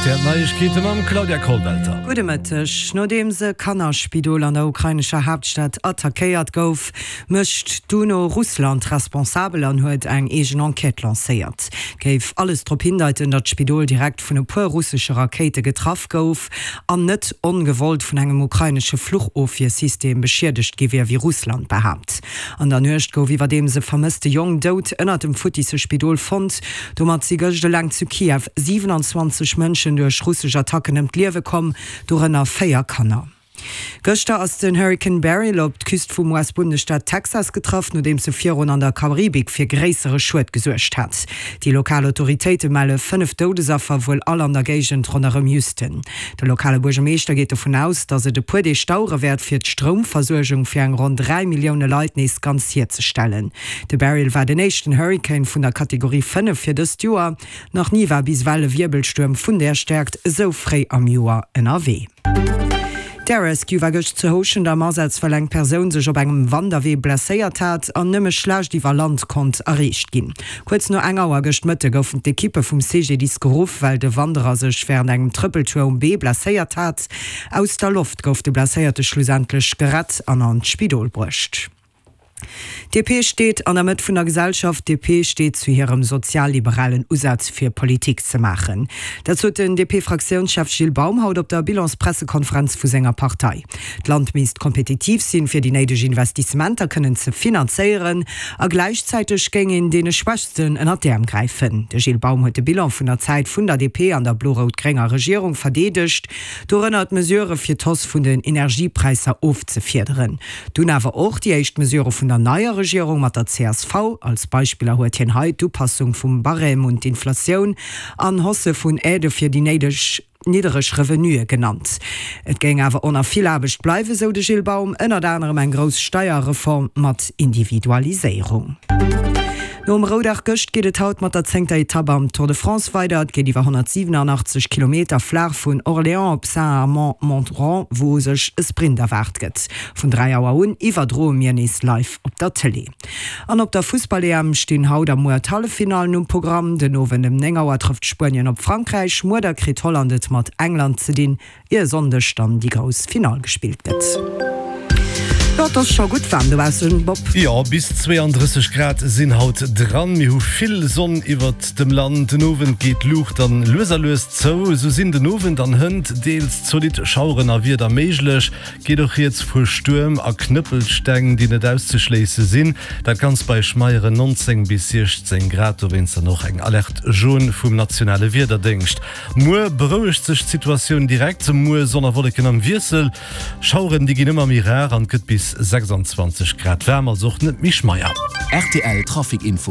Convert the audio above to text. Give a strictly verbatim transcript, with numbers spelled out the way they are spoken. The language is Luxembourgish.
R T L Neiegkeete mam Claudia Kollwelter. Gudde Mëtteg. Nodeems e Kannerspidol an der ukrainescher Haaptstad attackéiert gouf, mécht d'UNO Russland responsabel an huet eng eegen Enquête lancéiert. Et géif alles drop hindeiten, datt d'Spidol direkt vun e puer russesche Rakéite getraff gouf an net ongewollt vun engem ukrainesche Fluchofwiersystem beschiedegt gi wier, wéi Russland behaapt. An der Nuecht gouf iwwerdeems e vermësste Jong dout ënnert dem futtisse Spidol fonnt. Domat si gëscht eleng zu Kiew siwenanzwanzeg Mënschen duerch russesch Attacken ëm d'Liewe komm, dorënner véier Kanner. Gëschter ass den Hurrikan Beryl op d'Küst vum U S-Bundesstaat Texas getraff, nodeems e virun an der Karibik fir gréissere Schued gesuergt hat. Déi lokal Autoritéite melle fënnef Doudesaffer, wuel all an der Géigend ronderëm Houston. De lokale Buergermeeschter geet dovun aus, datt et e puer Deeg dauere wäert, fir d'Stroumversuergung fir eng ronn dräi Millioune Leit nees ganz hierzestellen. De Beryl war den éischten Hurrikan vun der Kategorie fënnef fir dëst Joer. Nach ni war bis ewell e Wierbelstuerm vun där Stäerkt esou fréi am Joer ënnerwee. D'Air Rescue war gëscht zu Houschent am Asaz, well eng Persoun sech op engem Wanderwee blesséiert hat an nëmme schlecht iwwer Land konnt erreecht ginn. Kuerz no eng Auer gëscht Mëtte goufen d'Ekippe vum C G D I S geruff, well de Wanderer sech wärend engem Trëppeltour um Bee blesséiert hat. Aus der Loft gouf de Blesséierte schlussendlech gerett an an d'Spidol bruecht. D P steet an der Mëtt vun der Gesellschaft, D P steet zu hirem sozialliberalen Usaz fir Politik ze maachen. Dat sot den D P-Fraktiounschef Gilles Baum haut op der Bilanspressekonferenz vu senger Partei. D'Land misst kompetitiv sinn, fir déi néideg Investissementer kënnen ze finanzéieren a gläichzäiteg géing een deene Schwächsten ënnert d'Äerm gräifen. De Gilles Baum huet de Bilan vun der Zäit vun der D P an der blo-rout-grénger Regierung verdeedegt, dorënner d'Mesurë fir d'Hausse vun den Energiepräisser ofzefiederen. Dunn awer och déi éischt Mesurë vun der neier Regierung mat der C S V. Als Beispiller huet hien hei d'Upassung vum Barème un d'Inflatioun an Hausse vun Aidë fir déi néideg niddereg Revenuë genannt. Et géing awer och nach vill Aarbecht bleiwen, sou de Gilles Baum, ënnert anerem eng grouss Steierreform mat Individualiséierung. Nom Roudag gëscht geet et haut mat der zéngter Etapp am Tour de France weider. Et geet iwwer honnertsiwenanachtzeg Kilometer flaach vun Orléans op Saint-Amand-Montrond, wou u sech e Sprint erwaart gëtt. Vun dräi Auer un iwwerdroe mir nees live op der Tëlee. An op der Fussball-E M stinn haut a muer d'Halleffinallen um Programm. Den Owend ëm néng Auer trëfft Spuenien op Frankräich, muer da kritt Holland et mat England ze dinn, ier e Sonndeg dann déi grouss Finall gespillt gëtt. Jo, et ass scho gutt waarm dobaussen, Bob. Jo, bis zweeandrësseg Grad sinn haut dran. Mir hu vill Sonn iwwert dem Land. Den Owend geet d'Luucht dann lues a lues zou. Esou sinn den Owend an hënt deels zolidd Schaueren a Wieder méiglech. Geet och rieds vu Stuerm a Knëppelsteng, déi net auszeschléisse sinn. Dat Ganzt bei schmeieren nonzéng bis siechzéng Grad. Dowéinst dann och eng Alerte jaune vum nationale Wiederdéngscht. Muer berouegt sech d'Situatioun direkt. Muer Sonn a Wolleken am Wiessel. Schaueren, déi ginn ëmmer méi rar an et gëtt bis sechsanzwanzeg Grad waarm, also och net méi schmeier. R T L Trafic Info.